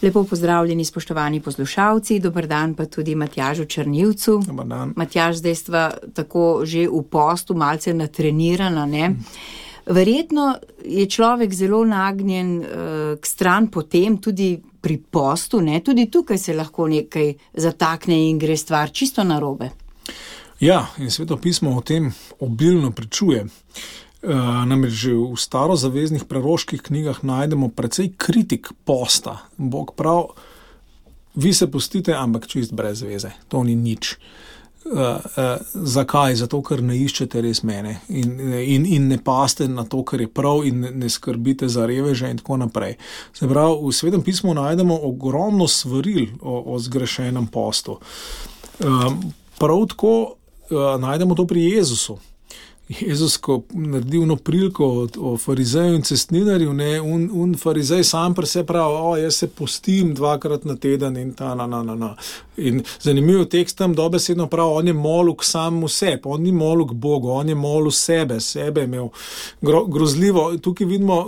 Lepo pozdravljeni, spoštovani poslušalci, dober dan pa tudi Matjažu Črnivcu. Dober dan. Matjaž, zdaj stva tako že v postu, malce natrenirana, ne? Verjetno je človek zelo nagnjen k stran potem, tudi pri postu, ne? Tudi tukaj se lahko nekaj zatakne in gre stvar čisto narobe. Ja, in Sveto pismo o tem obilno pričuje. Namreč že v starozaveznih preroških knjigah najdemo precej kritik posta. Bog prav, vi se postite, ampak čist brez veze. To ni nič. Zakaj? Zato, ker ne iščete res mene in ne paste na to, kar je prav in ne skrbite za reveže in tako naprej. Se pravi, v Svetem pismu najdemo ogromno svaril o zgrešenem postu. Prav tako najdemo to pri Jezusu. Jezus, ko naredi ono priliko o farizeju in cestninarju, ne, un farizej sam pri se pravi, jaz se postim 2krat na teden in In zanimiv tekst tam dobesedno pravi, on je molil k samemu sebi, on ni molil k Bogu, on je molil sebe je imel grozljivo. Tukaj vidimo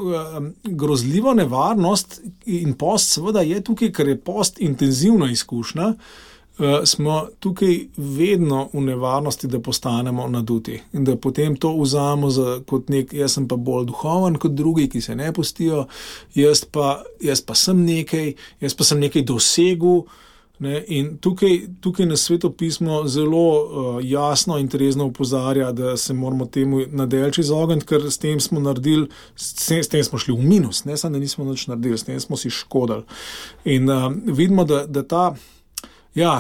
grozljivo nevarnost in post seveda je tukaj, ker je post intenzivna izkušnja, smo tukaj vedno v nevarnosti, da postanemo naduti in da potem to vzamemo kot jaz sem pa bolj duhoven kot drugi, ki se ne postijo, jaz pa sem nekaj dosegel, ne? In tukaj na Sveto pismo zelo jasno in trezno opozarja, da se moramo temu nadelči izogniti, ker s tem smo naredili, s tem smo šli v minus, ne samo da nismo nič naredili, s tem smo si škodili. In vidimo, da ta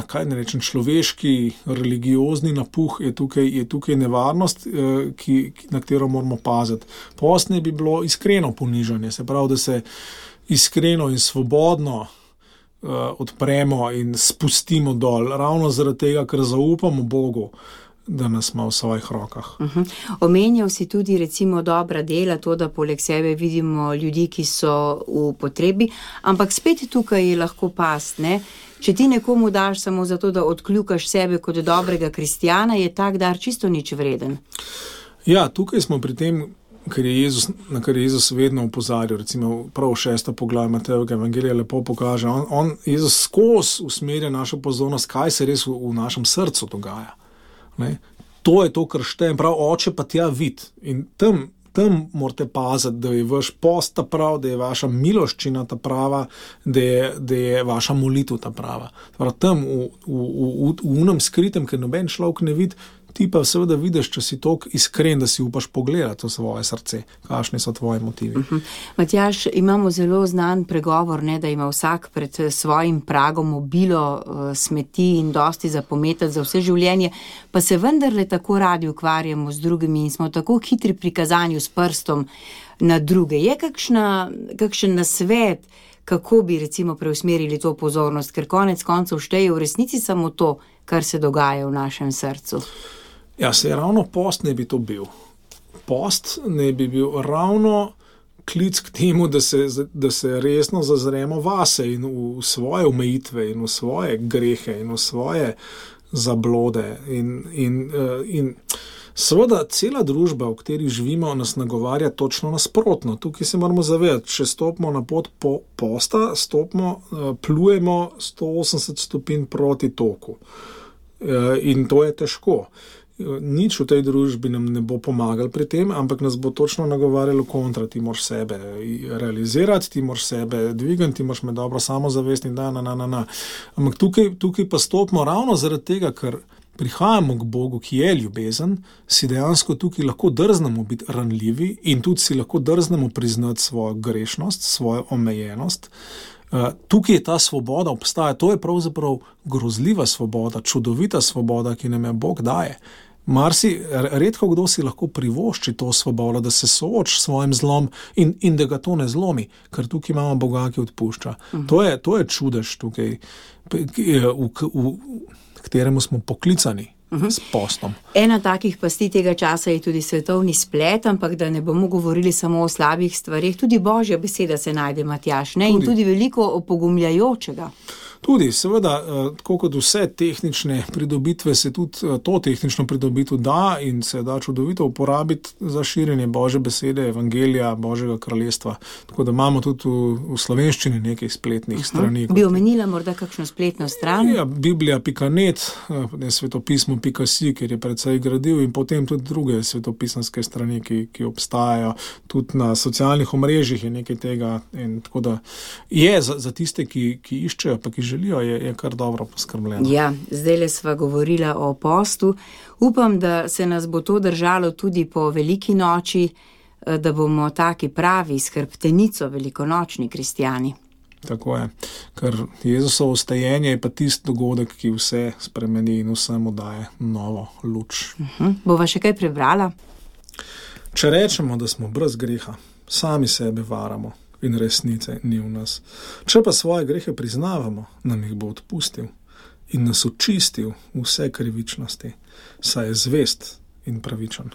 kaj ne rečem, človeški, religiozni napuh je tukaj nevarnost, na katero moramo paziti. Post ne bi bilo iskreno ponižanje, se pravi, da se iskreno in svobodno odpremo in spustimo dol, ravno zaradi tega, ker zaupamo Bogu, da nas ima v svojih rokah. Omenjal si tudi recimo dobra dela, to, da poleg sebe vidimo ljudi, ki so v potrebi, ampak spet tukaj je lahko past, ne? Če ti nekomu daš samo zato, da odkljukaš sebe kot dobrega kristjana, je tak dar čisto nič vreden. Ja, tukaj smo pri tem, na kar je Jezus vedno opozarjal, recimo prav 6. poglavje Matejevega evangelija lepo pokaže. Jezus skozi usmerja našo pozornost, kaj se res v našem srcu dogaja. Ne? To je to, kar šteje. Prav oče pa tja vid. In tam morate paziti, da je vaš post ta prav, da je vaša miloščina ta prava, da je vaša molitev ta prava. Tam v unem skritem, ker noben človek ne vidi, ti pa seveda vidiš, če si toliko iskren, da si upaš pogledati v svoje srce, kakšni so tvoji motivi. Matjaž, imamo zelo znan pregovor, ne, da ima vsak pred svojim pragom obilo smeti in dosti za pometati za vse življenje, pa se vendarle tako radi ukvarjamo z drugimi in smo tako hitri pri kazanju s prstom na druge. Je kakšen nasvet, kako bi recimo preusmerili to pozornost, ker konec koncev šteje v resnici samo to, kar se dogaja v našem srcu? Ja, ravno post ne bi to bil. Post ne bi bil ravno klic k temu, da se resno zazremo vase in v svoje omejitve in v svoje grehe in v svoje zablode. In seveda cela družba, v kateri živimo, nas nagovarja točno nasprotno. Tukaj se moramo zavedati, če stopimo na pot posta, plujemo 180 stopinj proti toku. In to je težko. Nič v tej družbi nam ne bo pomagal pri tem, ampak nas bo točno nagovarjalo kontra. Ti moraš sebe realizirati, ti moraš sebe dvigati, ti moraš imeti dobro samozavest in Ampak tukaj pa stopimo ravno zaradi tega, ker prihajamo k Bogu, ki je ljubezen, si dejansko tukaj lahko drznemo biti ranljivi in tudi si lahko drznemo priznati svojo grešnost, svojo omejenost. Tukaj je ta svoboda obstaja, to je pravzaprav grozljiva svoboda, čudovita svoboda, ki nam je Bog daje. Redko kdo si lahko privošči to svobodo, da se sooči s svojim zlom in da ga to ne zlomi, ker tukaj imamo Boga, ki odpušča. To je čudež tukaj, kateremu smo poklicani s postom. Ena takih pasti tega časa je tudi svetovni splet, ampak da ne bomo govorili samo o slabih stvarih, tudi Božja beseda se najde, Matjaž, ne? In tudi veliko opogumljajočega. Tudi, seveda, tako kot vse tehnične pridobitve, se tudi to tehnično pridobitev da in se da čudovito uporabiti za širjenje Božje besede, evangelija, Božjega kraljestva. Tako da imamo tudi v slovenščini nekaj spletnih strani. Bi omenila morda kakšno spletno stran? Ja, Biblija.net, svetopismo.si, kjer je precej gradiv, in potem tudi druge svetopisanske strani, ki obstajajo. Tudi na socialnih omrežjih je nekaj tega. In tako da je za tiste, ki iščejo, pa ki želijo, je kar dobro poskrbljeno. Ja, zdajle sva govorila o postu. Upam, da se nas bo to držalo tudi po veliki noči, da bomo taki pravi s hrbtenico velikonočni kristjani. Tako je, ker Jezusovo vstajenje je pa tisti dogodek, ki vse spremeni in vsemu daje novo luč. Bova še kaj prebrala? Če rečemo, da smo brez greha, sami sebe varamo in resnice ni v nas. Če pa svoje grehe priznavamo, nam jih bo odpustil in nas očistil vse krivičnosti, saj je zvest in pravičen.